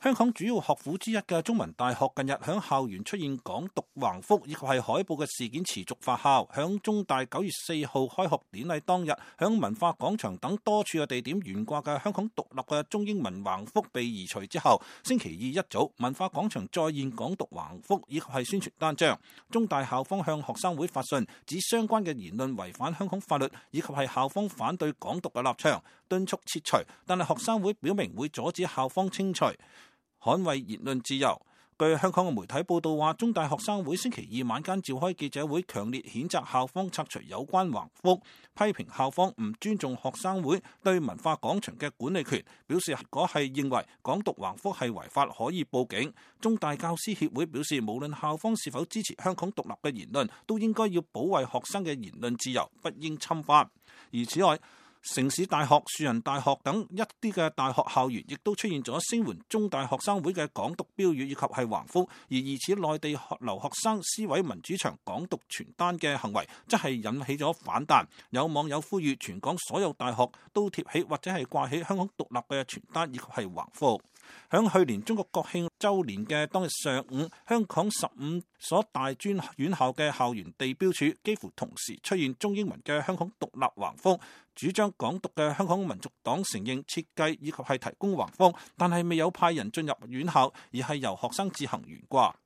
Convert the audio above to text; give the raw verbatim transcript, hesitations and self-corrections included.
香港主要學府之一嘅中文大學近日響校園出現港獨橫幅以及係海報嘅事件持續發酵。響中大九月四號開學典禮當日，響文化廣場等多處嘅地點懸掛嘅香港獨立嘅中英文橫幅被移除之後，星期二一早，文化廣場再現港獨橫幅以及係宣傳單張。中大校方向學生會發信，指相關嘅言論違反香港法律，以及係校方反對港獨嘅立場，敦促撤除。但係學生會表明會阻止校方清除，捍衛言論自由。據香港嘅媒體報道話，中大學生會星期二晚間召開記者會，強烈譴責校方拆除有關橫幅，批評校方唔尊重學生會對文化廣場嘅管理權，表示如果係認為港獨橫幅係違法，可以報警。中大教師協會表示，無論校方是否支持香港獨立嘅言論，都應該要保衛學生嘅言論自由，不應侵犯。而此外，城市大學、樹仁大學等一啲嘅大學校園亦都出現咗聲援中大學生會嘅港獨標語以及係橫幅，而疑似內地留學生撕毀民主牆港獨傳單嘅行為，則係引起咗反彈。有網友呼籲全港所有大學都貼起或者係掛起香港獨立嘅傳單以及係橫幅。響去年中國國慶週年嘅當日上午，香港十五所大專院校嘅校園地標處幾乎同時出現中英文嘅香港獨立橫幅。主張港獨嘅香港民族黨承認設計以及係提供橫幅，但係未有派人進入院校，而係由學生自行懸掛。